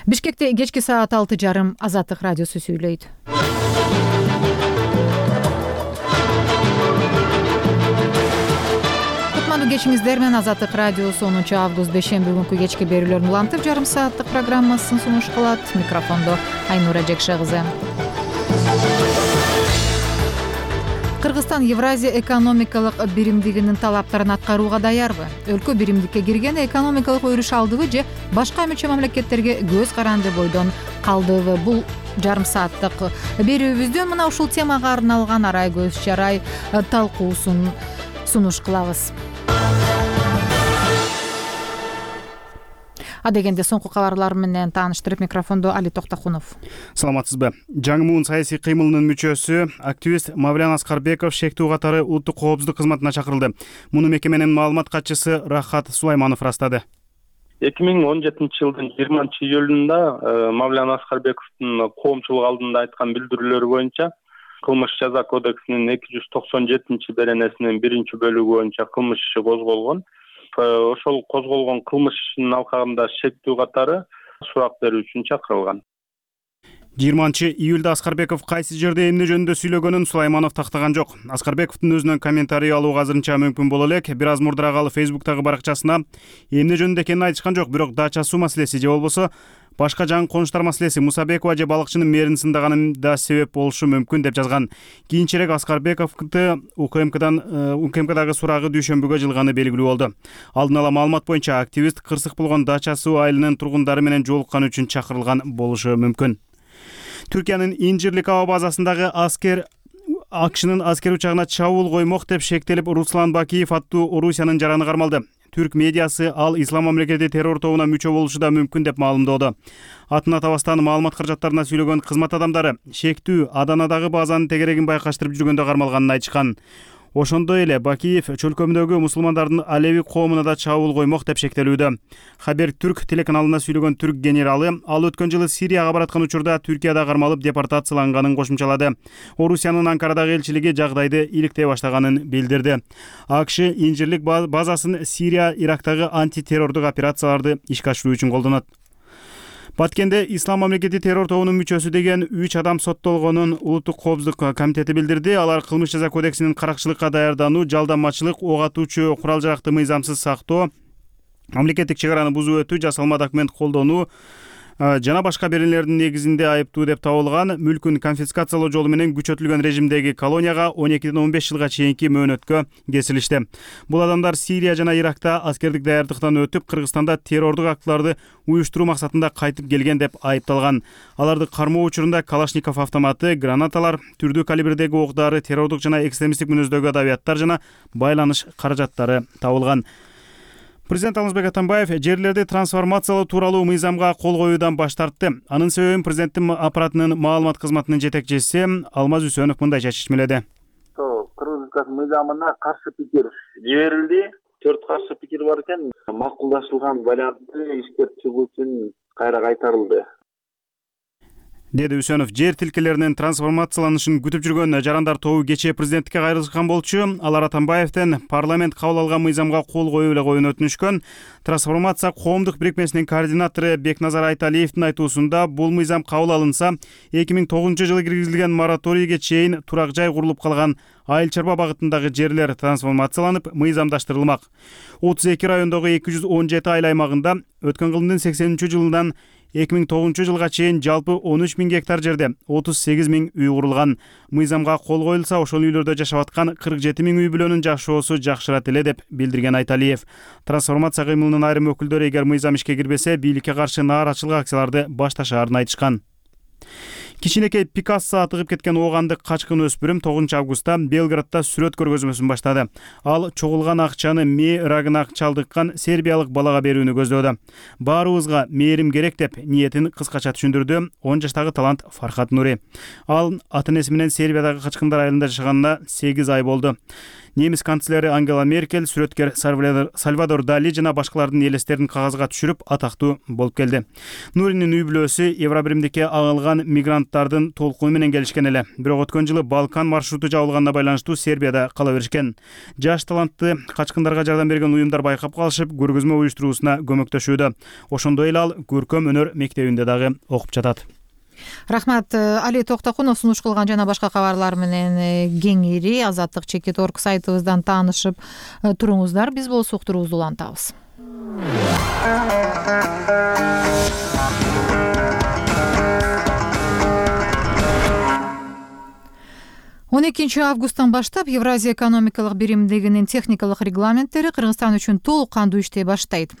Бишкекте кечки саат 6:30 Азаттык радиосу сүйлөйт. Кутмандуу кечиңиздер менен Азаттык радиосу 10 август бейшемби күнкү кечки берүүлөрүн улантып, жарым сааттык программасын сунуш кылат. Микрофондо Айнура Жекше кызы. Кыргызстан Евразия экономикалык биримдигинин талаптарын аткарууга даярбы? Өлкө биримдикке киргенде экономикалык өрүш алдыбы же башка мүчө мамлекеттерге көз каранды бойдон калдыбы? Бул жарым сааттык берүүбүздөн мына ушул темага арналган арай көз чарай талкуусун сунуш кылабыз. Адегенде соңку кабарлар менен тааныштырып, микрофондо Али Токтокунов. Саламатсызбы? Жаңы муун саясий кыймылынын мүчөсү, активист Мавлян Аскарбеков шектүү катары улуттук коопсуздук кызматына чакырылды. Муну мекеменин маалымат катчысы Рахат Сулайманов ырастады. 2017-жылдын 20-июлунда Мавлян Аскарбековдун коомчулук алдында айткан билдирүүлөрү боюнча кылмыш жаза кодексинин 297-беренесинин 1-бөлүгү боюнча кылмыш иши козголгон. Ошол козголгон кылмыш ишинин алкагында шектүү катары сурак берүү үчүн чакырылган. 20-июлда Аскарбеков кайсы жерде эмне жөнүндө сүйлөгөнүн Сулайманов тактаган жок. Аскарбековдун өзүнөн комментарий алууга азырынча мүмкүн боло элек. Бир аз мурдураак ал Facebook'тагы баракчасына эмне жөнүндө экенин айтышкан жок, бирок дача суу маселеси же болбосо башка жаңы конуштар маселеси, Мусабекова же балыкчынын мээрин сындаганы да себеп болушу мүмкүн деп жазган. Кийинчерээк Аскарбековду УКМКдагы сурагы дүйшөмбүгө жылганы белгилүү болду. Алдын ала маалымат боюнча активист кырсык болгон Дача суу айылынын тургундары менен жолуккан үчүн чакырылган болушу мүмкүн. Түркиянын Инжирлик аба базасындагы АКШнын аскер учагына чабуул коймок деп шектелип, Руслан Бакиев аттуу Орусиянын жараны кармалды. Түрк медиасы ал Ислам мамлекети террор тобуна мүчө болушу да мүмкүн деп маалымдоодо. Атын атабастан маалымат каражаттарына сүйлөгөн кызмат адамдары шектүү Аданадагы базанын тегерегин байкаштырып жүргөндө кармалганын айтышкан. Ошондой эле Бакиев чөлкөмдөгү мусулмандардын Алеви коомуна да чабуул коймок деп шектелүүдө. Хабер Түрк телеканалына сүйлөгөн түрк генералы ал өткөн жылы Сирияга бараткан учурда Түркияда кармалып депортацияланганын кошумчалады. Орусиянын Анкарадагы элчилиги жагдайды иликтей баштаганын билдирди. АКШ Инжирлик базасын Сирия, Ирактагы антитеррордук операцияларды ишке ашыруу үчүн колдонот. Баткенде Ислам мамлекети террор тобунун мүчөсү деген 3 адам соттолгонун Улуттук коопсуздук комитети билдирди. Алар кылмыш жаза кодексинин каракчылыкка даярдануу, жалданмачылык, ок атуучу курал-жаракты мыйзамсыз сактоо, мамлекеттик чек араны бузуп өтүү, жасалма документ колдонуу жана башка беренелердин негизинде айыптуу деп табылган. Мүлкүн конфискациялоо жолу менен күчөтүлгөн режимдеги колонияга 12-15 жылга чейинки мөөнөткө кесилишти. Бул адамдар Сирия жана Иракта аскердик даярдыктан өтүп, Кыргызстанда террордук актыларды уюштуруу максатында кайтып келген деп айыпталган. Аларды кармоо учурунда Калашников автоматы, гранаталар, түрдүү калибрдеги ок-дары, террордук жана экстремисттик мүнөздөгү адабияттар жана байланыш каражаттары табылган. Президент Алмазбек Атамбаев жерлерди трансформациялоо тууралуу мыйзамга кол коюудан баш тартты. Анын себебин президенттин аппаратынын маалымат кызматынын жетекчиси Алмаз Үсөнов мындайча чечмеледи. Кыргыз мыйзамына каршы пикир жиберилди. 4 каршы пикир бар экен. Макулдашылган вариантты иштеп чыгуу үчүн кайра кайтарылды, деди Үсөнов. Жер тилкелеринин трансформацияланышын күтүп жүргөн жарандар тобу кечээ президенттикке кайрылышкан болчу. Алар Атамбаевден парламент кабыл алган мыйзамга кол коюу эле коюун өтүнүшкөн. Трансформация коомдук бирикмесинин координатору Бекназар Айталиевдин айтуусунда бул мыйзам кабыл алынса, 2009-жылы киргизилген мораторийге чейин турак жай курулуп калган айыл чарба багытындагы жерлер трансформацияланып, мыйзамдаштырылмак. 32 райондогу 217 айыл аймагында өткөн кылымдын 80-жылынан 2009-жылга чейин жалпы 13 000 гектар жерде 38 000 үй курулган. Мыйзамга кол коюлса, ошол үйлөрдө жашап аткан 47 000 үй бүлөнүн жашоосу жакшырат эле деп билдирген Айталиев. Трансформация кыймылынын айрым өкүлдөрү эгер мыйзам ишке кирбесе, бийликке каршы нааразычылык акцияларды башташаарын айтышкан. Кичинекей Пикассо атыгып кеткен оогандык качкын өспүрүм 9 августта Белградда сүрөт көргөзмөсүн баштады. Ал чогулган акчаны мээ рагына чалдыккан сербиялык балага берүүнү көздөөдө. Баарыбызга мээрим керек деп ниетин кыскача түшүндүрдү 10 жаштагы талант Фархат Нури. Ал ата-энеси менен Сербиядагы Качкындар айылында жашаганына 8 ай болду. Немис канцлери Ангела Меркель, сүрөткер Сальвадор Дали жана башкалардын элестерин кагазга түшүрүп атактуу болуп келди. Нуринин үй бүлөсү Евробиримдикке агылган мигранттардын толкуну менен келишкен эле. Бирок өткөн жылы Балкан маршруту жабылганына байланыштуу Сербияда кала беришкен. Жаш талантты качкындарга жардам берген уюмдар байкап калышып, көргөзмө уюштуруусуна көмөктөшүүдө. Ошондой эле ал көркөм өнөр мектебинде дагы окуп жатат. Рахмат. Али Токтокунов сунуш кылган жана башка кабарлар менен кеңири Азаттык.org сайтыбыздан таанышып туруңуздар. Биз болсо уктуруубузду улантабыз. 12 августтан баштап Евразия экономикалык биримдигинин техникалык регламенттери Кыргызстан үчүн толук кандуу иштей баштайт.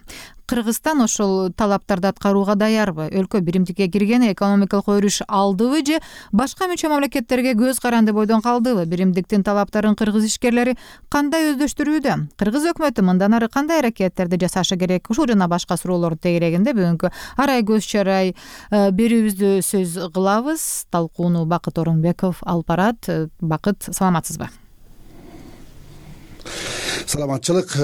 Кыргызстан ошол талаптарды аткарууга даярбы? Өлкө биримдикке киргени экономикалык өрүш алдыбы же башка мүчө мамлекеттерге көз каранды бойдон калдыбы? Биримдиктин талаптарын кыргыз ишкерлери кандай өздөштүрүүдө? Кыргыз өкмөтү мындан ары кандай аракеттерди жасашы керек? Ушул жана башка суроолордун тегерегинде бүгүнкү арай көз чарай берүүбүздү сөз кылабыз. Талкууну Бакыт Орунбеков алып барат. Бакыт, саламатсызбы? Саламатчылык.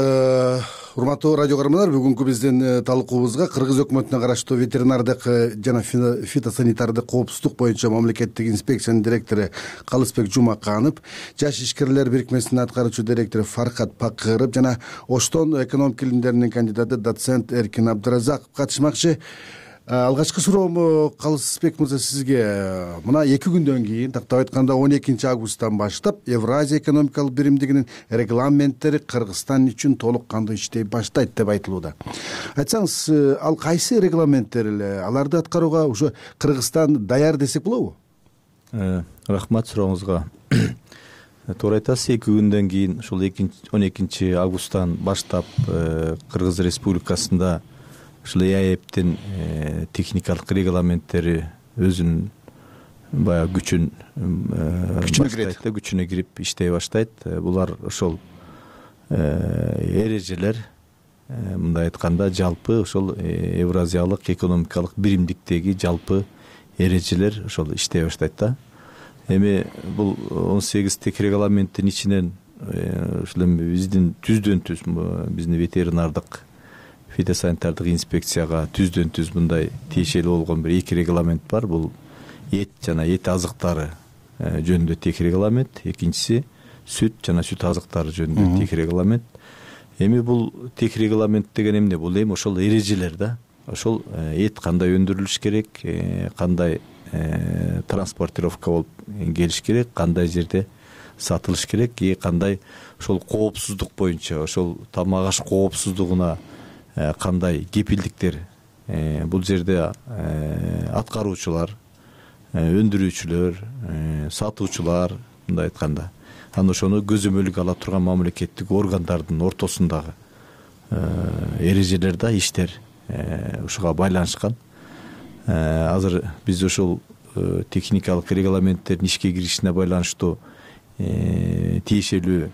Урматтуу радио көрөрмандар, бүгүнкү биздин талкуубузга Кыргыз өкмөтүнө караштуу ветеринардык жана фитосанитардык коопсуздук боюнча мамлекеттик инспекциянын директору Калысбек Жумаканов, жаш ишкерлер бирикмесинин аткаруучу директору Фаркат Пакыров жана Оштон экономика илимдеринин кандидаты доцент Эркин Абдыразаков катышмакчы. Алгачкы суроом Калысбек мырза сизге. Мына 2 күндөн кийин, тактап айтканда 12 августтан баштап Евразия экономикалык биримдигинин регламенттери Кыргызстан үчүн толук кандуу иштей баштайт деп айтылууда. Айтсаңыз, ал кайсы регламенттер эле? Аларды аткарууга ушу Кыргызстан даяр десек болобу? Рахмат сурооңузга. Туура айтасыз, 2 күндөн кийин ушул 12 августтан баштап Кыргыз Республикасында ушул ЭАЭПтин техникалык регламенттери өзүнүн баягы күчүнө кирип иштей баштайт. Булар ошол эрежелер, мындай айтканда, жалпы ошол Евразиялык экономикалык биримдиктеги жалпы эрежелер ошол иштей баштайт да. Эми бул 18 тех регламенттин ичинен ушул биздин түздөн-түз биздин ветеринардык фитосанитардык инспекцияга түздөн-түз мындай тиешелүү болгон бир 2 регламент бар. Бул эт жана эт азыктары жөнүндө тех регламент, экинчиси сүт жана сүт азыктары жөнүндө тех регламент. Эми бул тех регламент деген эмне? Бул эми ошол эрежелер да. Ошол эт кандай өндүрүлүш керек, кандай транспортировка болуп келиш керек, кандай жерде сатылыш керек, кандай ошол коопсуздук боюнча, ошол тамак аш коопсуздугуна кандай кепилдиктер бул жерде аткаруучулар, өндүрүүчүлөр, сатуучулар, мындай айтканда, анан ошону көзөмөлгө ала турган мамлекеттик органдардын ортосундагы эрежелер да, иштер ушуга байланышкан. Азыр биз ошол техникалык регламенттердин ишке киришине байланыштуу тиешелүү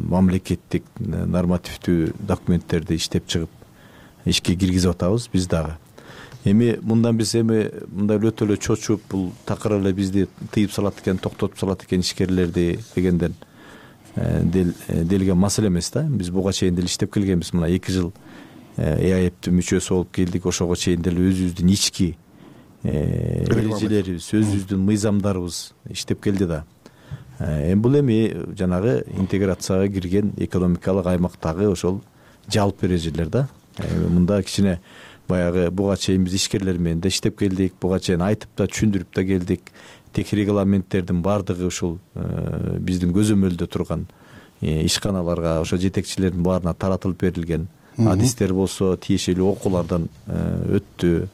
мамлекеттик нормативдүү документтерди иштеп чыгып ишке киргизип атабыз биз дагы. Эми мындан биз мындай өтө эле чочуп, бул такыр эле бизди тыйып салат экен, токтотуп салат экен ишкерлерди дегенден делген маселе эмес да. Биз буга чейин деле иштеп келгенбиз. Мына 2 жыл ЭАЭПтин мүчөсү болуп келдик. Ошого чейин деле өзүбүздүн ички эрежелерибиз, өзүбүздүн мыйзамдарыбыз иштеп келди да. Бул эми жанагы интеграцияга кирген экономикалык аймактагы ошол жалпы эрежелер да. Мында кичине баягы буга чейин биз ишкерлер менен да иштеп келдик, буга чейин айтып да түшүндүрүп да келдик. Тех регламенттердин баардыгы ушул биздин көзөмөлдө турган ишканаларга, ошо жетекчилердин баарына таратылып берилген. Адистер болсо тиешелүү окуулардан өттү.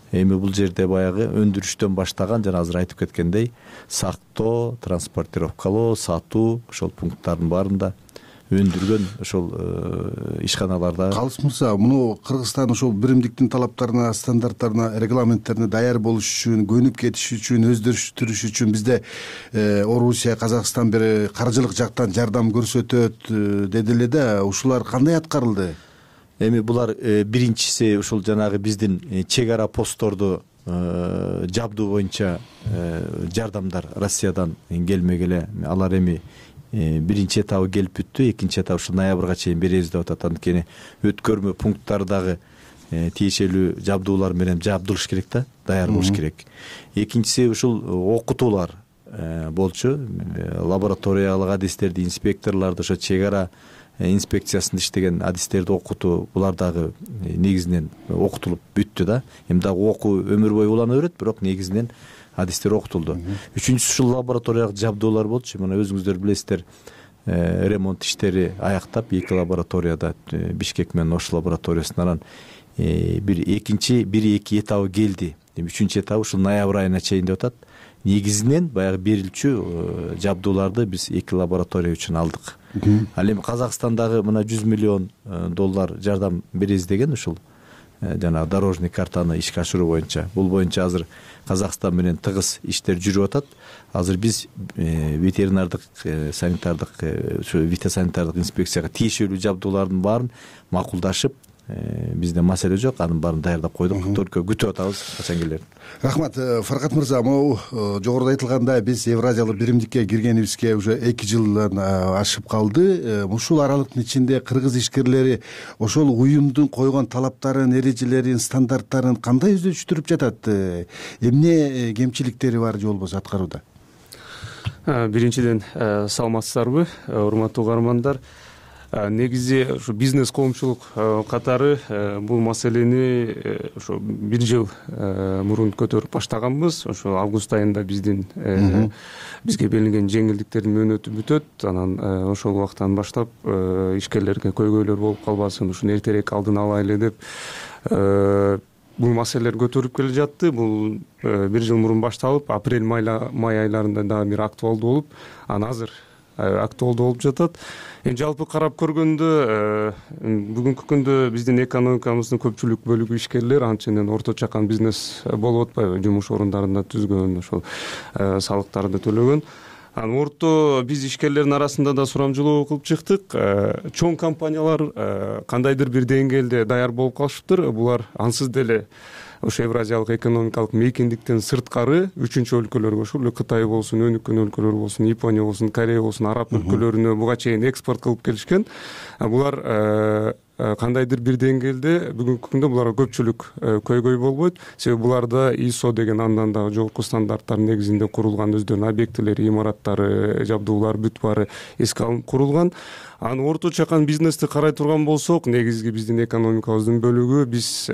Эми бул жерде баягы өндүрүштөн баштаган, жана азыр айтып кеткендей, сактоо, транспортировкалоо, сатуу, ошол пункттардын баарында өндүргөн ошол ишканаларда. Калыс мырза, муну Кыргызстан ошол биримдиктин талаптарына, стандарттарына, регламенттерине даяр болуш үчүн, көнүп кетиш үчүн, өздөштүрүш үчүн бизде Орусия, Казакстан бир каржылык жактан жардам көрсөтөт деди эле да. Ушулар кандай аткарылды? Эми булар биринчиси ушул жанагы биздин чек ара постторду жабдуу боюнча жардамдар Россиядан келмегеле. Алар эми биринчи этабы келип бүттү, экинчи этап ушу ноябрга чейин беребиз деп атат. Анткени өткөрмө пункттардагы тиешелүү жабдуулар менен жабдылыш керек да, даяр болуш керек. Экинчиси ушул окутуулар болчу. Лабораториялык адистерди, инспекторлорду, ошо чек ара инспекциясында иштеген адистерди окутуу, булар дагы негизинен окутулуп бүттү да. Эми дагы окуу өмүр бою улана берет, бирок негизинен адистер окутулду. Үчүнчүсү ушул лабораториялык жабдуулар болчу. Мына өзүңүздөр билесиздер, ремонт иштери аяктап, 2 лабораторияда, Бишкек менен Ош лабораториясынан бир-эки этабы келди. Үчүнчү этабы ушул ноябрь айына чейин деп атат. Негизинен баягы берилчү жабдууларды биз 2 лаборатория үчүн алдык. Ал эми Казакстандагы мына $100 миллион жардам беребиз деген ушул жанагы дорожный картаны ишке ашыруу боюнча. Бул боюнча азыр Казакстан менен тыгыз иштер жүрүп атат. Азыр биз ветеринардык санитардык, фитосанитардык инспекцияга тиешелүү жабдуулардын баарын макулдашып, бизде маселе жок, анын баарын даярдап койдук. Только күтүп атабыз качан келерин. Рахмат. Фаркат мырза, могу жогоруда айтылгандай биз Евразиялык биримдикке киргенибизге уже 2 жылдан ашып калды. Ушул аралыктын ичинде кыргыз ишкерлери ошол уюмдун койгон талаптарын, эрежелерин, стандарттарын кандай өздөштүрүп жатат? Эмне кемчиликтери бар же болбосо аткарууда? Биринчиден саламатсыздарбы, урматтуу угармандар. Негизи ушу бизнес коомчулук катары бул маселени ошо 1 жыл мурун көтөрүп баштаганбыз. Ошо август айында бизге берилген жеңилдиктердин мөөнөтү бүтөт. Анан ошол убактан баштап ишкерлерге көйгөйлөр болуп калбасын, ушуну эртерээк алдын алайлы деп бул маселелер көтөрүлүп келе жатты. Бул 1 жыл мурун башталып, апрель-май айларында дагы бир актуалдуу болуп, анан азыр актуалдуу болуп жатат. Эми жалпы карап көргөндө бүгүнкү күндө биздин экономикабыздын көпчүлүк бөлүгү ишкерлер, анченен орто чакан бизнес болуп атпайбы, жумуш орундарында түзгөн, ошол салыктарды төлөгөн. Анан орто биз ишкерлердин арасында да сурамжылоо кылып чыктык. Чоң компаниялар кандайдыр бир деңгээлде даяр болуп калышыптыр. Булар ансыз деле ошо Евразиялык экономикалык мейкиндиктен сырткары үчүнчү өлкөлөргө, ошол эле Кытай болсун, өнүккөн өлкөлөр болсун, Япония болсун, Корея болсун, араб өлкөлөрүнө буга чейин экспорт кылып келишкен. Булар кандайдыр бир деңгээлде бүгүнкү күндө буларга көпчүлүк көйгөй болбойт. Себеби буларда ISO деген андан дагы жогорку стандарттар негизинде курулган өздөрүнүн объектилери, имараттары, жабдуулар бүт баары эске алынып курулган. Анан орто чакан бизнести карай турган болсок, негизги биздин экономикабыздын бөлүгү, биз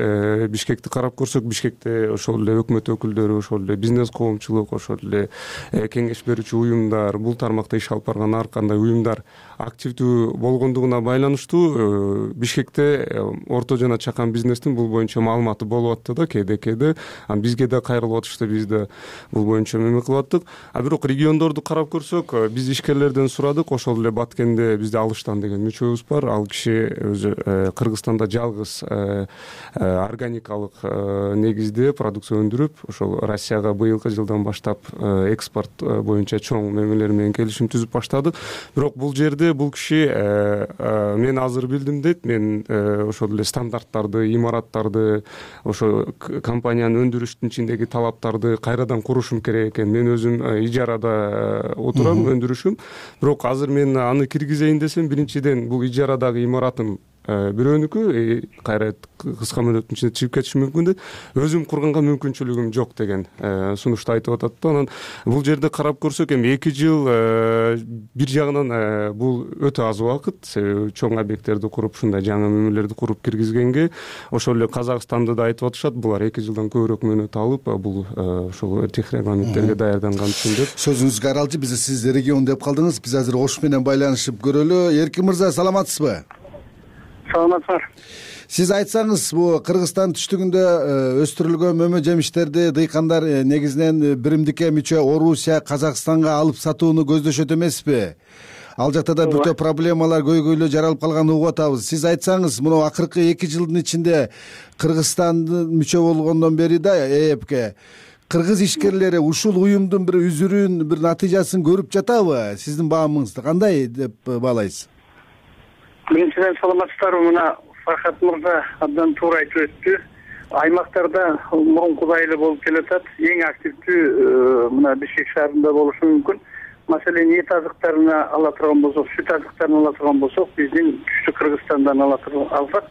Бишкекти карап көрсөк, Бишкекте ошол эле өкмөт өкүлдөрү, ошол эле бизнес коомчулук, ошол эле кеңеш берүүчү уюмдар, бул тармакта иш алып барган ар кандай уюмдар активдүү болгондугуна байланыштуу Бишкекте орто жана чакан бизнестин бул боюнча маалыматы болуп атты да кээде. Анан бизге да кайрылып атышты, биз да бул боюнча эме кылып аттык. Бирок региондорду карап көрсөк, биз ишкерлерден сурадык. Ошол эле Баткенде бизде Алыштан деген мүчөбүз бар. Ал киши өзү Кыргызстанда жалгыз органикалык негизде продукция өндүрүп, ошол Россияга быйылкы жылдан баштап экспорт боюнча чоң мемелер менен келишим түзүп баштады. Бирок бул жерде бул киши мен азыр билдим дейт, мен ошол эле стандарттарды, имараттарды, ошо компаниянын өндүрүштүн ичиндеги талаптарды кайрадан курушум керек экен. Мен өзүм ижарада отурам, өндүрүшүм. Бирок азыр мен аны киргизейин десем, биринчиден бул ижарадагы имаратым бирөөнүкү, кайра кыска мөөнөттүн ичинде чыгып кетиши мүмкүн дейт. Өзүм курганга мүмкүнчүлүгүм жок деген сунушту айтып атат да. Анан бул жерде карап көрсөк, эми 2 жыл бир жагынан бул өтө аз убакыт. Себеби чоң объекттерди куруп, ушундай жаңы мөөнөттөрдү куруп киргизгенге, ошол эле Казакстанды да айтып атышат, булар 2 жылдан көбүрөөк мөөнөт алып, бул ошол техрегламенттерге даярданган үчүн деп. Сөзүңүзгө аралчы, биз сиз регион деп калдыңыз. Биз азыр Ош менен байланышып көрөлү. Эркин мырза, саламатсызбы? Саламатсыздар. Сиз айтсаңыз, бул Кыргызстан түштүгүндө өстүрүлгөн мөмө жемиштерди дыйкандар негизинен биримдикке мүчө Орусия, Казакстанга алып сатууну көздөшөт эмеспи? Ал жакта да бүтө проблемалар, көйгөйлөр жаралып калганын угуп атабыз. Сиз айтсаңыз, мына акыркы 2 жылдын ичинде Кыргызстандын мүчө болгондон бери да ЭЭПке кыргыз ишкерлери ушул уюмдун бир үзүрүн, бир натыйжасын көрүп жатабы? Сиздин баамыңызды кандай деп баалайсыз? Биринчиден саламатсыздарбы? Мына Фархат мырза абдан туура айтып өттү. Аймактарда мурункудай эле болуп келатат. Эң активдүү мына Бишкек шаарында болушу мүмкүн. маселен эт азыктарына ала турган болсок, сүт азыктарын ала турган болсок, биздин күчтүү Кыргызстандан алсак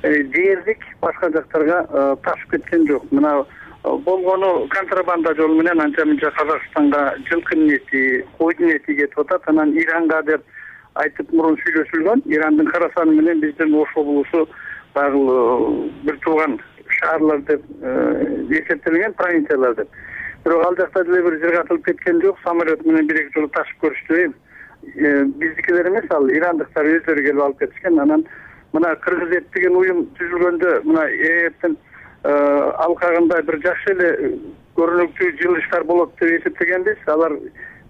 дээрлик башка жактарга ташып кеткен жок. Мына болгону контрабанда жолу менен анча мынча Казакстанга жылкынын эти, койдун эти кетип атат. Анан Иранга деп айтып мурун сүйлөшүлгөн. Ирандын Карасаны менен биздин Ош облусу багыл бир тууган шаарлар деп эсептелген, провинциялар деп. Бирок ал жакта деле бир жыргатылып кеткен жок. Самолет менен бир-эки жолу ташып көрүштү. Биздикилер эмес, ал ирандыктар өздөрү келип алып кетишкен. Анан мына Кыргыз эт деген уюм түзүлгөндө мына ЭЭптин алкагында бир жакшы эле көрүнүктүү жылыштар болот деп эсептегенбиз. Алар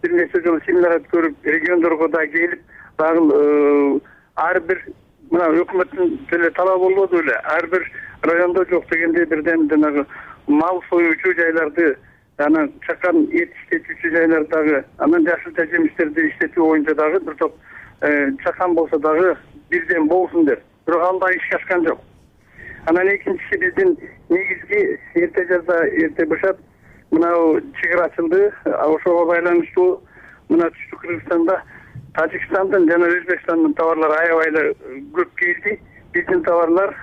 бир нече жолу семинар көрүп, региондорго да келип, багыл ар бир мына өкмөттүн деле талабы болбоду эле. Ар бир райондо жок дегенде бирден жанагы мал союучу жайларды, анан чакан эт иштетүүчү жайлардагы, анан жашылча жемиштерди иштетүү боюнча дагы бир топ чакан болсо дагы бирден болсун деп. Бирок ал да ишке ашкан жок. Анан экинчиси биздин негизги эрте жазда эрте бышап мынау чек ара ачылды. Ошого байланыштуу мына түштүк Кыргызстанда Тажикстандын жана Өзбекстандын товарлары аябай эле көп келди. Биздин товарлар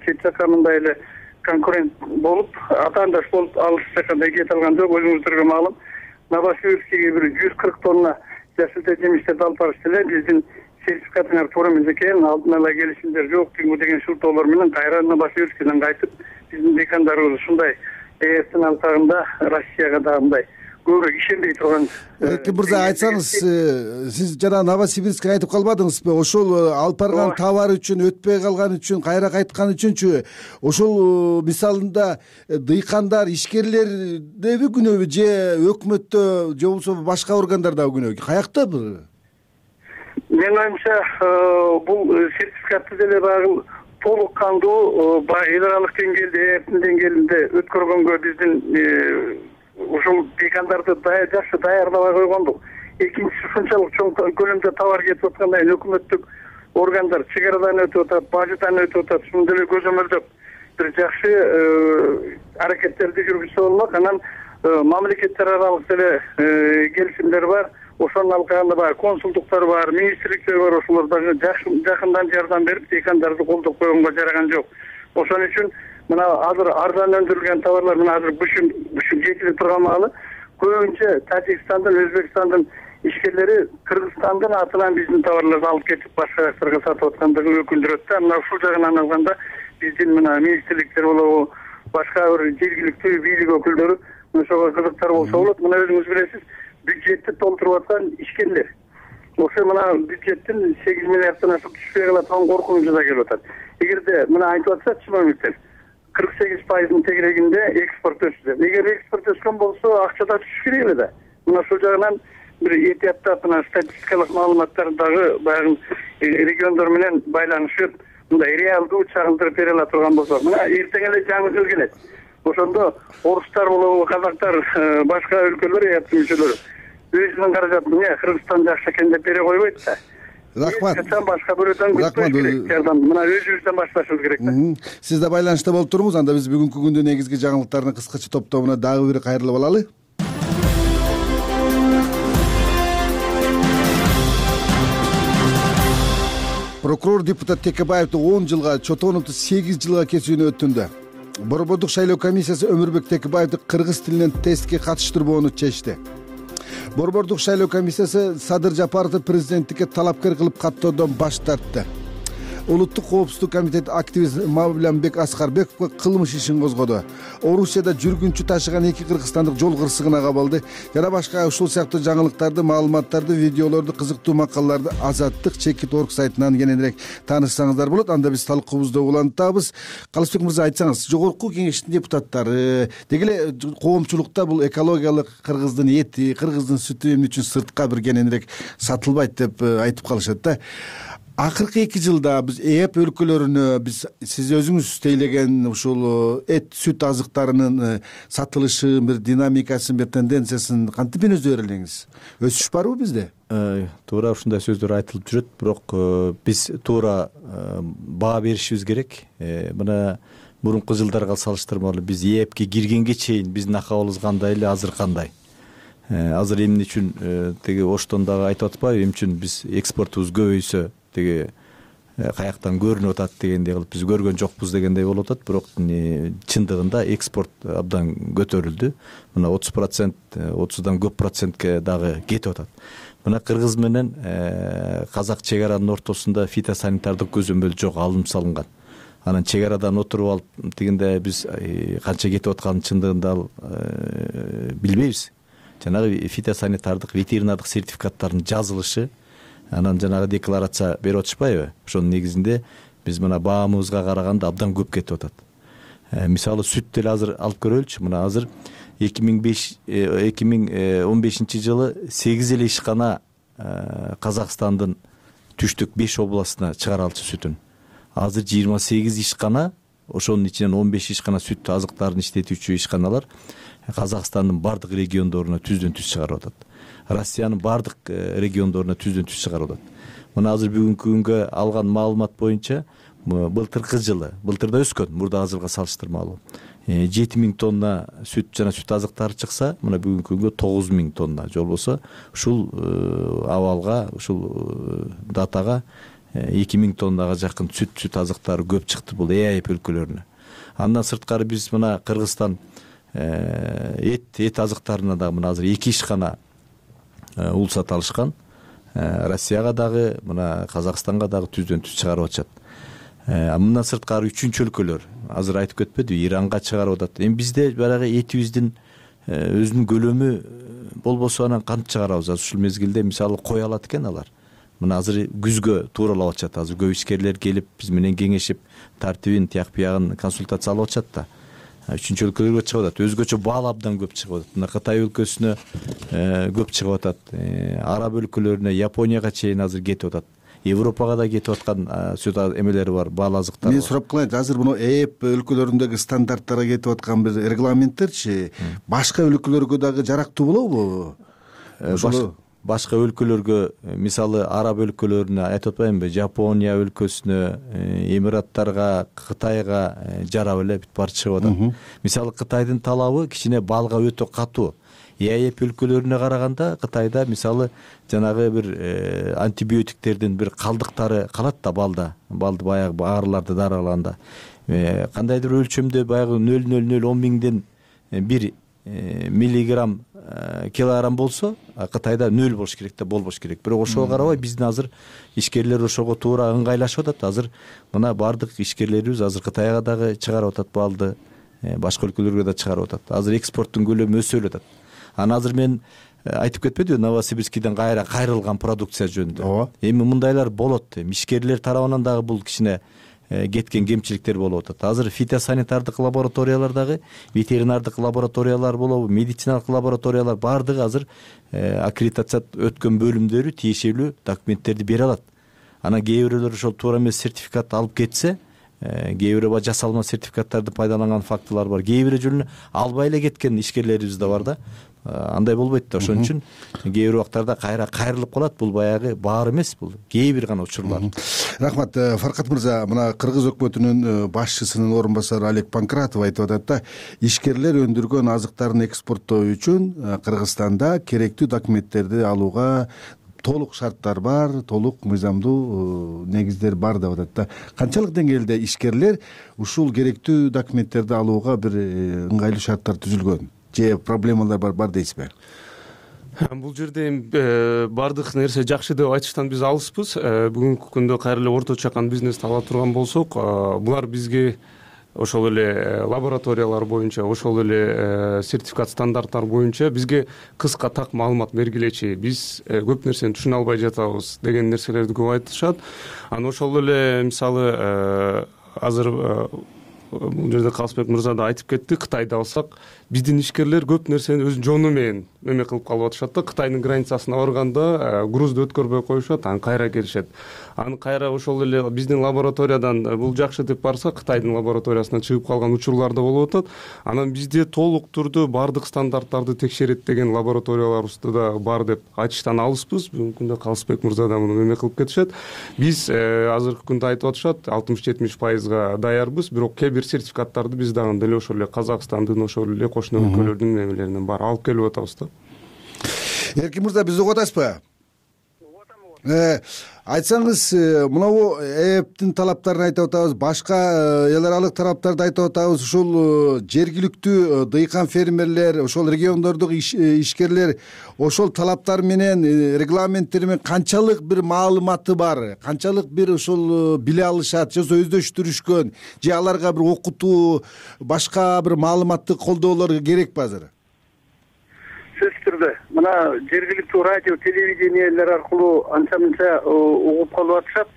чет жакка мындай эле конкурент болуп, атаандаш болуп алыс жакканда кете алган жок. Өзүңүздөргө маалым, Новосибирскиге бир 140 тонна жашылча жемиштерди алып барышты эле. Биздин сертификатыңар туура эмес экен, алдын ала келишимдер жок деген шылтоолор менен кайра Новосибирскиден кайтып, биздин декандарыбыз ушундай ЭЭптин алкагында Россияга да мындай көбүрөөк ишенбей турган. Эркин мырза, айтсаңыз, сиз жана Новосибирскке кайтып калбадыңызбы? Ошол алып барган товар үчүн, өтпөй калган үчүн, кайра кайткан үчүнчү ошол мисалында дыйкандар, ишкерлердеби күнөөбү же өкмөттө же болбосо башка органдардагы күнөө? Каякта бул? Менин оюмча бул сертификатты деле багыл толук кандуу эл аралык деңгээлде, ЭЭптин деңгээлинде өткөргөнгө биздин ушул декандарды жакшы даярдабай койгондук. Экинчиси, ушунчалык чоң көлөмдө товар кетип атканда өкмөттүк органдар чек арадан өтүп атат, бажыдан өтүп атат. Шуну деле көзөмөлдөп бир жакшы аракеттерди жүргүзсө болмок. Анан мамлекеттер аралык деле келишимдер бар. Ошонун алкагында баягы консулдуктар бар, министрликтер бар. Ошолор дагы жакындан жардам берип, декандарды колдоп койгонго жараган жок. Ошон үчүн мына азыр арзан өндүрүлгөн товарлар мына азыр бушун жетилип турган маалы көбүнчө Тажикстандын, Өзбекстандын ишкерлери Кыргызстандын атынан биздин товарларды алып кетип башка жактарга сатып аткандыгын өкүндүрөт да. Мына ушул жагынан алганда биздин мына министрликтер болобу, башка бир жергиликтүү бийлик өкүлдөрү ошого кызыктар болсо болот. Мына өзүңүз билесиз, бюджетти толтуруп аткан ишкерлер. Ошо мына бюджеттин 8 миллиарддан ашык түшпөй калат деген коркунучу да келип атат. Эгерде мына айтып атса чиновниктер 48% тегерегинде экспорт өсүп. Эгер экспорт өскөн болсо акча да түшүш керек эле да. Мына ошол жагынан бир этияттап мына статистикалык маалыматтарды дагы баягы региондор менен байланышып, мындай реалдуу чагылдырып бере ала турган болсок, мына эртең эле жаңы жыл келет. Ошондо орустар болобу, казактар, башка өлкөлөр эяптын мүчөлөрү өзүнүн каражатын Кыргызстан жакшы экен деп бере койбойт да. Рахмат. Башка бирөөдөн күтпөш керек. Жардам мына өзүбүздөн башташыбыз керек да. Сиз да байланышта болуп туруңуз. Анда биз бүгүнкү күндүн негизги жаңылыктарынын кыскача топтомуна дагы бир кайрылып алалы. Прокурор депутат Текебаевди 10 жылга, Чотоновду 8 жылга кесүүнү өтүндү. Борбордук шайлоо комиссиясы Өмүрбек Текебаевди кыргыз тилинен тестке катыштырбоону чечти. Борбордук шайлоо комиссиясы Садыр Жапаровду президенттикке талапкер кылып каттоодон баш тартты. Улуттук коопсуздук комитети активист Мавлянбек Аскарбековго кылмыш ишин козгоду. Орусияда жүргүнчү ташыган 2 кыргызстандык жол кырсыгына кабылды. Жана башка ушул сыяктуу жаңылыктарды, маалыматтарды, видеолорду, кызыктуу макалаларды Азаттык Чекит.org сайтынан кененирээк таанышсаңыздар болот. Анда биз талкуубузду улантабыз. Калысбек мырза, айтсаңыз, жогорку кеңештин депутаттары деги эле коомчулукта бул экологиялык кыргыздын эти, кыргыздын сүтү эмне үчүн сыртка бир кененирээк сатылбайт деп айтып калышат да. Акыркы 2 жылда биз ЭЭп өлкөлөрүнө сиз өзүңүз тейлеген ушул эт, сүт азыктарынын сатылышы, бир динамикасын, бир тенденциясын кантип өнөздөр элеңиз? Өсүш барбы бизде? Туура ушундай сөздөр айтылып жүрөт, бирок биз туура баа беришибиз керек. Мына мурунку жылдарга салыштырмалуу биз ЭЭпке киргенге чейин биздин акыбалыбыз кандай эле, азыр кандай? азыр эмне үчүн тиги Оштон дагы айтып атпайбы, эмне үчүн биз экспортубуз көбөйсө тиги каяктан көрүнүп атат дегендей кылып биз көргөн жокпуз дегендей болуп атат. Бирок чындыгында экспорт абдан көтөрүлдү. Мына 30%, 30дан көп процентке дагы кетип атат. Мына Кыргыз менен Казак чек-аранын ортосунда фитосанитардык көзөмөл жок, алым салынган. Анан чек-арадан отуруп алып тигинде биз канча кетип атканын чындыгында билбейбиз. Жанагы фитосанитардык ветеринардык сертификаттардын жазылышы, анан жанагы декларация берип атышпайбы? Ошонун негизинде биз мына баамыбызга караганда абдан көп кетип атат. Мисалы сүт деле азыр алып көрөлүчү. Мына азыр 2015 жылы 8 эле ишкана Казакстандын түштүк 5 областына чыгара алчу сүтүн. Азыр 28 ишкана, ошонун ичинен 15 ишкана сүт азыктарын иштетүүчү ишканалар Казакстандын бардык региондоруна түздөн түз чыгарып атат. Россиянын бардык региондоруна түздөн түз чыгарып атат. Мына азыр бүгүнкү күнгө алган маалымат боюнча былтыркы жылы, былтырда өскөн, мурда азырга салыштырмалуу 7000 тонна сүт жана сүт азыктары чыкса, мына бүгүнкү күнгө 9000 тонна. Же болбосо ушул абалга, ушул датага 2000 тоннага жакын сүт азыктары көп чыкты бул ЭАЭП өлкөлөрүнө. Андан сырткары биз мына Кыргызстан эт азыктарына дагы мына азыр 2 ишкана улсат алышкан. Россияга дагы, мына Казакстанга дагы түздөн түз чыгарып атышат. Мындан сырткары үчүнчү өлкөлөр азыр айтып кетпедиби, Иранга чыгарып атат. Эми бизде баягы этибиздин өзүнүн көлөмү болбосо анан кантип чыгарабыз? Ушул мезгилде мисалы кой алат экен алар. Мына азыр күзгө тууралап атышат. Азыр көп ишкерлер келип биз менен кеңешип, тартибин, тияк биягын консультация алып атышат да. Үчүнчү өлкөлөргө чыгып атат. Өзгөчө бал абдан көп чыгып атат. Мына Кытай өлкөсүнө көп чыгып атат. Араб өлкөлөрүнө, Японияга чейин азыр кетип атат. Европага да кетип аткан сүт эмелери бар, бал азыктар. Мен сурап калайынчы, азыр муну ЭЭП өлкөлөрүндөгү стандарттарга кетип аткан бир регламенттерчи башка өлкөлөргө дагы жарактуу болобу? Башка өлкөлөргө, мисалы Араб өлкөлөрүнө айтып атпаймынбы, Жапония өлкөсүнө, Эмираттарга, Кытайга жарап эле бүт баары чыгып атат. Мисалы Кытайдын талабы кичине балга өтө катуу. ЭАЭП өлкөлөрүнө караганда Кытайда мисалы жанагы бир антибиотиктердин бир калдыктары калат да балды баягы аарыларды даралаганда. Кандайдыр өлчөмдө баягы 0,010 миңден 1 миллиграмм килограмм болсо, Кытайда 0 болуш керек да болбош керек. Бирок ошого карабай биздин азыр ишкерлер ошого туура ыңгайлашып атат. Азыр мына бардык ишкерлерибиз азыр Кытайга дагы чыгарып атат балды, башка өлкөлөргө да чыгарып атат. Азыр экспорттун көлөмү өсө атат. Анан азыр мен айтып кетпедимби, Новосибирскиден кайрылган продукция жөнүндө. Эми мындайлар болот. Ишкерлер тарабынан дагы бул кичине кеткен кемчиликтер болуп атат. Азыр фитосанитардык лабораториялар дагы, ветеринардык лабораториялар болобу, медициналык лабораториялар бардыгы азыр аккредитация өткөн бөлүмдөрү тиешелүү документтерди бере алат. Анан кээ бирөөлөр ошол туура эмес сертификат алып кетсе, кээ бирөө жасалма сертификаттарды пайдаланган фактылар бар. Кээ бирөө жолу албай эле кеткен ишкерлерибиз да бар да. Андай болбойт да. Ошон үчүн кээ бир убактарда кайрылып калат. Бул баягы баар эмес, бул кээ бир гана учурлар. Рахмат. Фаркат мырза, мына Кыргыз өкмөтүнүн башчысынын орун басары Олег Панкратов айтып атат да, ишкерлер өндүргөн азыктарын экспорттоо үчүн Кыргызстанда керектүү документтерди алууга толук шарттар бар, толук мыйзамдуу негиздер бар деп атат да. Канчалык деңгээлде ишкерлер ушул керектүү документтерди алууга бир ыңгайлуу шарттар түзүлгөн же проблемалар бар дейсизби? Бул жерде бардык нерсе жакшы деп айтыштан биз алыспыз. Бүгүнкү күндө кайра эле орто чакан бизнести ала турган болсок, булар бизге ошол эле лабораториялар боюнча, ошол эле сертификат стандарттар боюнча бизге кыска так маалымат бергилечи, биз көп нерсени түшүнө албай жатабыз деген нерселерди көп айтышат. Анан ошол эле мисалы азыр бул жерде Калысбек мырза да айтып кетти, Кытайды алсак, биздин ишкерлер көп нерсени өз жону менен эме кылып калып атышат да. Кытайдын границасына барганда грузду өткөрбөй коюшат, анан кайра келишет. Анан кайра ошол эле биздин лабораториядан бул жакшы деп барса, Кытайдын лабораториясына чыгып калган учурлар да болуп атат. Анан бизде толук түрдө бардык стандарттарды текшерет деген лабораторияларыбызда да бар деп айтыштан алыспыз. Бүгүнкү күндө Калысбек мырза да муну эме кылып кетишет. Биз азыркы күндө айтып атышат, 60-70% даярбыз, бирок кээ бир сертификаттарды биз дагы деле ошол эле Казакстандын, ошол эле кошуна өлкөлөрдүн эмелеринен бар алып келип атабыз да. Эркин мырза, бизди угуп атасызбы? Айтсаңыз, мынабу ЭЭПтин талаптарын айтып атабыз, башка эл аралык талаптарды айтып атабыз. Ушул жергиликтүү дыйкан фермерлер, ошол региондордук ишкерлер ошол талаптар менен, регламенттер менен канчалык бир маалыматы бар, канчалык бир ошол биле алышат, же өздөштүрүшкөн, же аларга бир окутуу, башка бир маалыматтык колдоолор керекпи азыр? Сөзсүз түрдө мына жергиликтүү радио телевидениелер аркылуу анча мынча угуп калып атышат.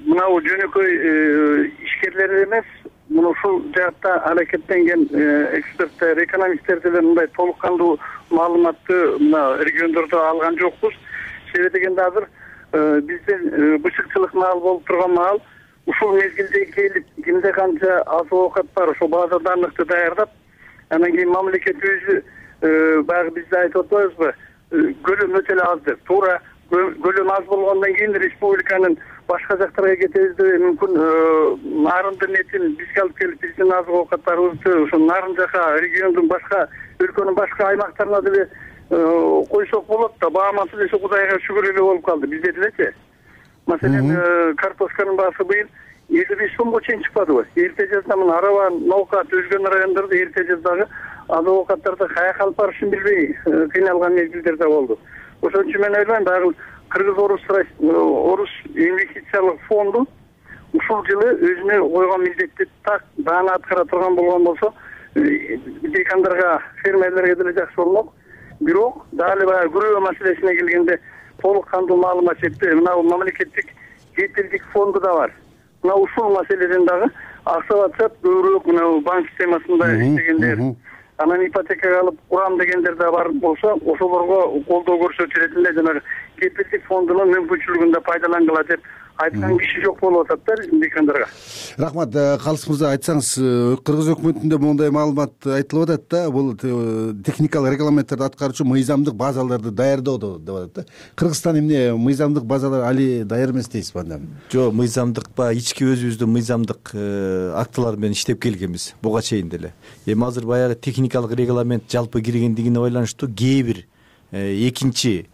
Мынабу жөнөкөй ишкерлер эмес, мына ушул жаатта аракеттенген эксперттер, экономисттер деле мындай толук кандуу маалыматты мына региондордо алган жокпуз. Себеби дегенде азыр биздин бышыкчылык маал болуп турган маал ушул мезгилде келип, кимде канча азык оокат бар, ошол база данылыкты даярдап, анан кийин мамлекет өзү баягы бизде айтып атпайбызбы, көлөм өтө эле аз деп. Туура көлөм аз болгондон кийин республиканын башка жактарга кетебиз деп мүмкүн нарындын этин бизге алып келип, биздин азык оокаттарыбызды ошо нарын жака, региондун башка, өлкөнүн башка аймактарына деле койсок болот да. Бааматы десе Кудайга шүгүр эле болуп калды бизде делечи. Маселен, картошканын баасы быйыл 55 сомго чейин чыкпадыбы? Эрте жазда мына Арава, Ноокат, өзгөн райондордо эрте жаздагы азык оокаттарды каяка алып барышын билбей кыйналган мезгилдер да болду. Ошон үчүн мен ойлойм, баягы Кыргыз-Орус инвестициялык фонду ушул жылы өзүнө койгон милдетти так даана аткара турган болгон болсо, дыйкандарга, фермерлерге деле жакшы болмок. Бирок дагы баягы күрөө маселесине келгенде толук кандуу маалымат жетпей, мына мамлекеттик жетилдик фонду да бар. Мына ушул маселеден дагы акча атышат, көбүрөөк мына банк системасында иштегендер, анан ипотекага алып курам дегендер да бар болсо, ошолорго колдоо көрсөтүлөт эле, жанагы кепилдик фондунун мүмкүнчүлүгүн да пайдалангыла деп айткан киши жок болуп атат да биздин дыйкандарга. Рахмат. Калыс мырза, айтсаңыз, Кыргыз өкмөтүндө моундай маалымат айтылып атат да, бул техникалык регламенттерди аткаруучу мыйзамдык базаларды даярдоо деп атат да. Кыргызстан эмне мыйзамдык базалар али даяр эмес дейсизби анда? Жок, мыйзамдык ички өзүбүздүн мыйзамдык актылар менен иштеп келгенбиз буга чейин деле. Эми азыр баягы техникалык регламент жалпы киргендигине байланыштуу кээ бир экинчи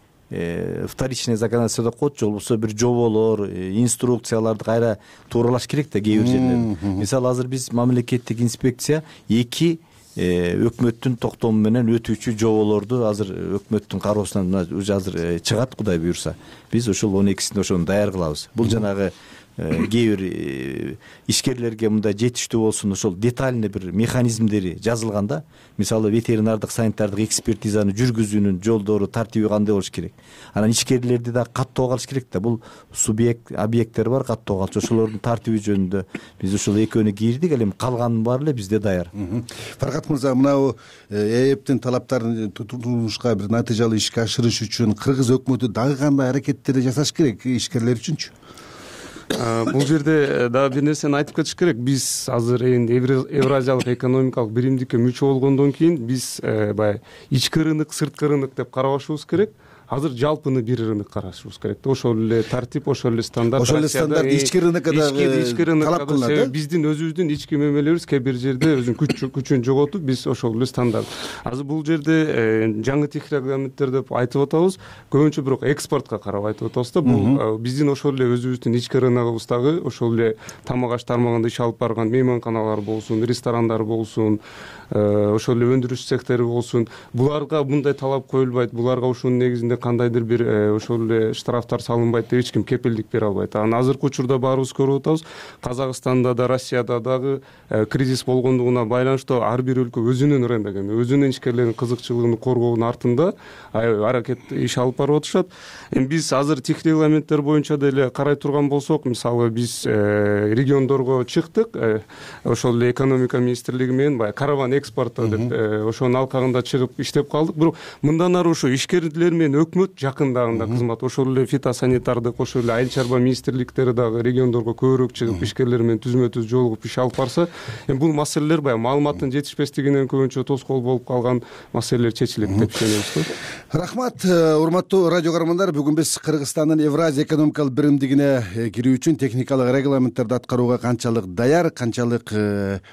вторичный законодательство деп коет, же болбосо бир жоболор, инструкцияларды кайра тууралаш керек да кээ бир жерлерде. Мисалы азыр биз мамлекеттик инспекция эки өкмөттүн токтому менен өтүүчү жоболорду азыр өкмөттүн кароосунан уже азыр чыгат, Кудай буюрса. Биз ошол 12-синде ошону даяр кылабыз. Бул жанагы кээ бир ишкерлерге мындай жетиштүү болсун, ошол детальный бир механизмдери жазылганда, мисалы ветеринардык санитардык экспертизаны жүргүзүүнүн жолдору, тартиби кандай болуш керек. Анан ишкерлерди да каттоого алыш керек да. Бул субъект, объекттер бар, каттоого алчу. Ошолордун тартиби жөнүндө биз ошол экөөнү кийирдик, ал эми калганын баары эле бизде даяр. Фаркат мырза, мынабу ЭЭПтин талаптарын турмушка бир натыйжалуу ишке ашырыш үчүн Кыргыз өкмөтү дагы кандай аракеттерди жасаш керек ишкерлер үчүнчү? Бул жерде дагы бир нерсени айтып кетиш керек. Биз азыр эми Евразиялык экономикалык биримдикке мүчө болгондон кийин биз баягы ички рынок, сырткы рынок деп карабашыбыз керек. Азыр жалпыны бир рынок карашыбыз керек да. Ошол эле тартип, ошол эле стандарт. Ошол эле стандарт ички рынокко дагы талап кылынат. Себеби биздин өзүбүздүн ички мөмөлөбүз кээ бир жерде өзүнүн күчүн жоготуп, биз ошол эле стандарт. Азыр бул жерде жаңы техник регламенттер деп айтып атабыз. Көбүнчө бирок экспортко карап айтып атабыз да. Бул биздин ошол эле өзүбүздүн ички рыногубуздагы ошол эле тамак аш тармагында иш алып барган мейманканалар болсун, ресторандар болсун, ошол эле өндүрүш цехтери болсун, буларга мындай талап коюлбайт, буларга ушунун негизинде кандайдыр бир ошол эле штрафтар салынбайт деп эч ким кепилдик бере албайт. Анан азыркы учурда баарыбыз көрүп атабыз, Казакстанда да, Россияда дагы кризис болгондугуна байланыштуу ар бир өлкө өзүнүн рыногун, өзүнүн ишкерлеринин кызыкчылыгын коргоонун артында аракет иш алып барып атышат. Эми биз азыр техник регламенттер боюнча деле карай турган болсок, мисалы биз региондорго чыктык, ошол эле экономика министрлиги менен баягы караван экспорта деп ошонун алкагында чыгып иштеп калдык. Бирок мындан ары ошо ишкерлер менен өкмөт жакындагында кызмат, ошол эле фитосанитардык, ошол эле айыл чарба министрликтери дагы региондорго көбүрөөк чыгып ишкерлер менен түзмө-түз жолугуп иш алып барса, эми бул маселелер баягы маалыматтын жетишпестигинен көбүнчө тоскоол болуп калган маселелер чечилет деп ишенебиз. Рахмат. Урматтуу радио көрөрмандар, бүгүн биз Кыргызстандын Евразия экономикалык биримдигине кирүү үчүн техникалык регламенттерди аткарууга канчалык даяр, канчалык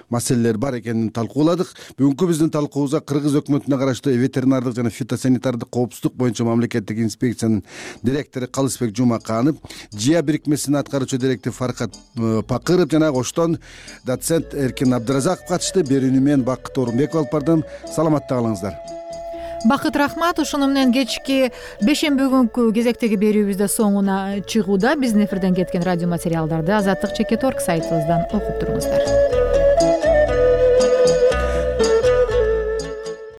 маселелер бар экенин талкууладык. Бүгүнкү биздин талкуубузга Кыргыз өкмөтүнө караштуу ветеринардык жана фитосанитардык коопсуздук боюнча мамлекеттик инспекциянын директору Калысбек Жумаканов, ЖИА бирикмесинин аткаруучу директору Фаркат Пакыров жана оштон доцент Эркин Абдыразаков катышты. Берүүнү мен Бакыт Орунбеков алып бардым. Саламатта калыңыздар. Бакыт, рахмат. Ушуну менен кечки бешемби күнкү кезектеги берүүбүз да соңуна чыгууда. Биздин эфирден кеткен радио материалдарды Азаттык Чекит.org сайтыбыздан окуп туруңуздар.